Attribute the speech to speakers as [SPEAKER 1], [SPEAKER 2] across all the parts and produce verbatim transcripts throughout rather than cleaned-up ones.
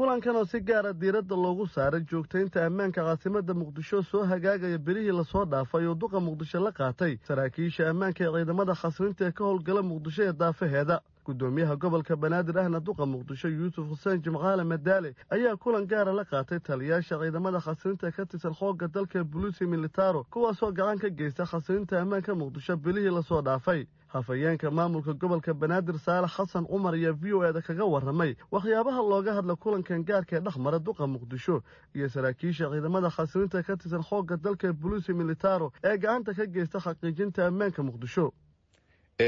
[SPEAKER 1] Kulankan oo si gaara diiradda loogu saaray joogtaynta ammaanka caasimadda Muqdisho soo hagaagaya bilihii lasoo dhaafay oo duqa Muqdisho la qaatay saraakiisha ammaanka ee ciidamada xasilinta ee ka howlgala Muqdisho ee daafaheeda. Gudoomiyaha gobolka Banaadir ahna duqa Muqdisho Yuusuf Xuseen Jimcaale Madaale ayaa kulan gaara la qaatay taliyaasha ciidamada xasilinta ka tirsan xoogga dalka Buluusi Militaro, kuwaasoo gacan ka geysta xasilinta ammaanka Muqdisho bilihii lasoo dhaafay. Hafayeenka maamulka gobolka Banaadir Saalax Xasan Cumar ayaa V O E-da kaga warramay waxyaabaha looga hadla kulankan gaarka ee dhexmara duqa Muqdisho iyo saraakiisha ciidamada xasilinta ka tirsan xoogga dalka Buluusi Militaro ee gacanta ka geysta xaqiijinta ammaanka Muqdisho.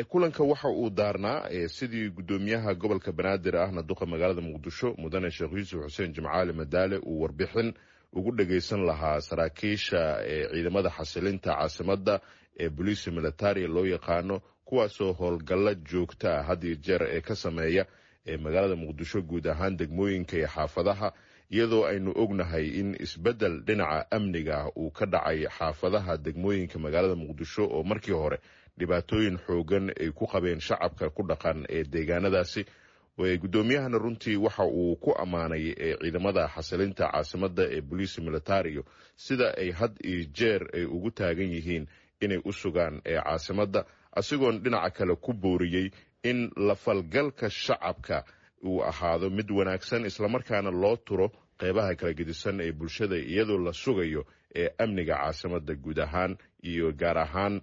[SPEAKER 2] Kulanka waxa uu daarnaa sidii gudoomiyaha gobolka Banaadir ahna duqa magaalada Muqdisho mudane Sheekh Yuusuf Xuseen Jimcaale Madaale uu warbixin ugu dhageysan lahaa saraakiisha ciidamada xasilinta caasimadda ee Boliisi Militari loo yaqaano, kuwaasoo howlgalla joogta ah had iyo jeer ee ka sameeya magaalada Muqdisho guud ahaan degmooyinka iyo xaafadaha, iyadoo aynu ognahay in isbeddel dhinaca amniga ah uu ka dhacay xaafadaha degmooyinka magaalada Muqdisho oo markii hore dhibaatooyin xoogan ay ku qabeen shacabka ku dhaqan ee deegaanadaasi. Gudoomiyahana runtii waxa uu ku ammaanay ciidamada xasilinta caasimadda ee Boliisi Militario sida ay had iyo jeer ay ugu taagan yihiin inay u sugaan caasimadda, asigoon dhinaca kale ku booriyey in la falgalka shacabka uu ahaado mid wanaagsan, islamarkaana loo turo qeybaha kala gedisan ee bulshada iyadoo la sugayo ee amniga caasimadda guud ahaan iyo gaar ahaan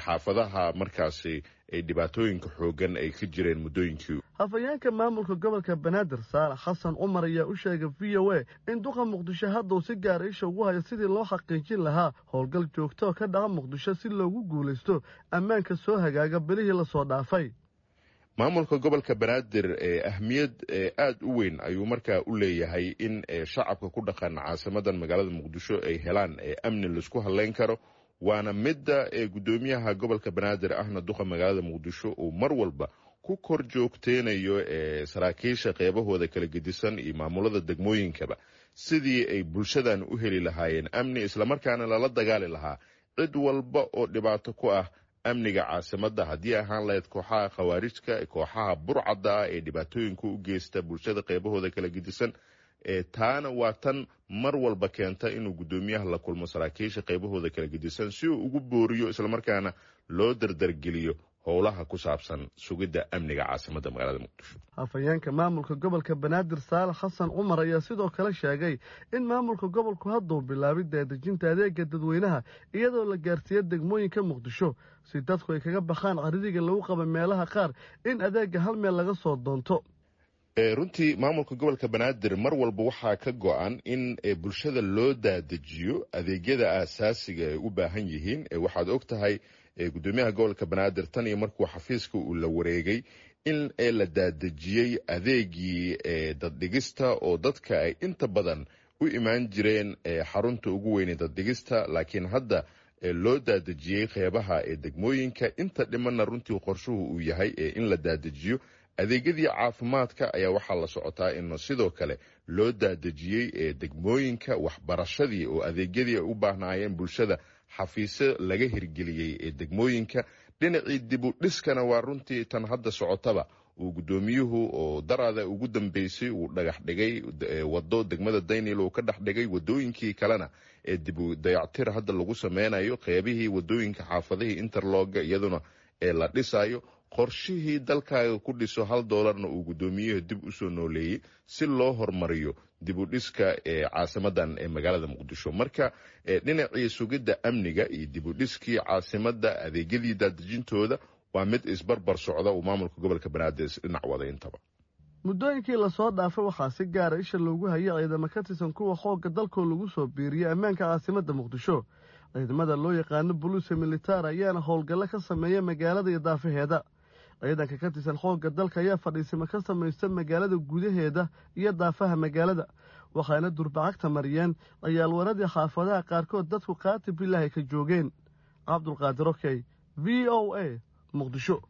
[SPEAKER 2] xaafadaha markaasi ay dhibaatooyinka xoogan ay ka jireen muddooyinkii.
[SPEAKER 1] Hafayeenka maamulka gobolka Banaadir Saalax Xasan Cumar ayaa u sheegay V O A in duqa Muqdisho hadda uu si gaara isha ugu hayo sidii loo xaqiijin lahaa howlgal joogto oo ka dhaca Muqdisho si loogu guulaysto ammaanka soo hagaaga bilihii lasoo dhaafay.
[SPEAKER 2] Maamulka gobolka Banaadir ahmiyad aada u weyn ayuu markaa u leeyahay in shacabka ku dhaqan caasimadan magaalada Muqdisho ay helaan amni laisku halleyn karo, waana midda gudoomiyaha gobolka Banaadir ahna duqa magaalada Muqdisho uu mar walba ku kor joogteynayo saraakiisha qeybahooda kala gedisan iyo maamulada degmooyinkaba sidii ay bulshadan u heli lahaayeen amni, islamarkaana lala dagaali lahaa cid walba oo dhibaato ku ah amniga caasimadda, haddii ahaan lahayd kooxaha khawaarijka, kooxaha burcadda ah ee dhibaatooyinka u geysta bulshada qeybahooda kala gedisan. Taana waa tan mar walba keenta inuu gudoomiyaha la kulmo saraakiisha qeybahooda kala gedisan si uu ugu booriyo islamarkaana loo dardargeliyo howlaha ku saabsan sugidda amniga caasimadda magaalada Muqdisho.
[SPEAKER 1] Hafayeenka maamulka gobolka Banaadir Saalax Xasan Cumar ayaa sidoo kale sheegay in maamulka gobolku hadduu bilaabay daadejinta adeega dadweynaha iyadoo la gaarsiiyo degmooyinka Muqdisho si dadku ay kaga baxaan carridiga lagu qaba meelaha qaar in adeega hal meel laga soo doonto.
[SPEAKER 2] Runtii maamulka gobolka Banaadir mar walba waxaa ka go-an in bulshada loo daadejiyo adeegyada aasaasiga ay u baahan yihiin. Waxaad og tahay gudoomiyaha gobolka Banaadir tan iyo markuu xafiiska uu la wareegay in la daadejiyey adeegii daddhigista oo dadka ay inta badan u imaan jireen xarunta ugu weyne daddhigista, laakiin hadda loo daadejiyey qeybaha ee degmooyinka. Inta dhimanna runtii qorshuhu uu yahay in la daadejiyo adeegyadii caafimaadka ayaa waxaa la socotaa in sidoo kale loo daadejiyey degmooyinka, waxbarashadii oo adeegyadii ay u baahnaayeen bulshada xafiisyo laga hirgeliyey ee degmooyinka. Dhinacii dib u dhiskana waa runtii tan hadda socotaba uu gudoomiyuhu oo daraada ugu dambeysay uu dhagax dhigay wado degmada Daynil uu ka dhex dhigay, wadooyinkii kalena ee dib u dayactir hadda lagu sameynayo, qeybihii wadooyinka xaafadihii interlooga iyaduna ee la dhisayo, qorshihii dalkaaga ku dhiso hal doolarna uu gudoomiyuhu dib usoo nooleeyey si loo horumariyo dib u dhiska ee caasimadan ee magaalada Muqdisho. Marka dhinacii sugidda amniga iyo dib u dhiskii caasimadda adeegyadii daadejintooda waa mid isbarbar socda uu maamulka gobolka Banaadir isdhinac wada intaba.
[SPEAKER 1] Muddooyinkii lasoo dhaafay waxaa si gaara isha loogu hayay ciidamo ka tirsan kuwa xoogga dalkoo lagu soo biiriyey ammaanka caasimadda Muqdisho. Ciidamada loo yaqaano Buluusi Militari ayaana howlgallo ka sameeya magaalada iyo daafaheeda. Ciidanka ka tirsan xoogga dalka ayaa fadhiisimo ka samaysta magaalada gudaheeda iyo daafaha magaalada, waxaana durbacagta mariyeen ciyaalwaradii xaafadaha qaarkood dadku qaati bilaahi ka joogeen. Cabdulqaadir Okey, V O A, Muqdisho.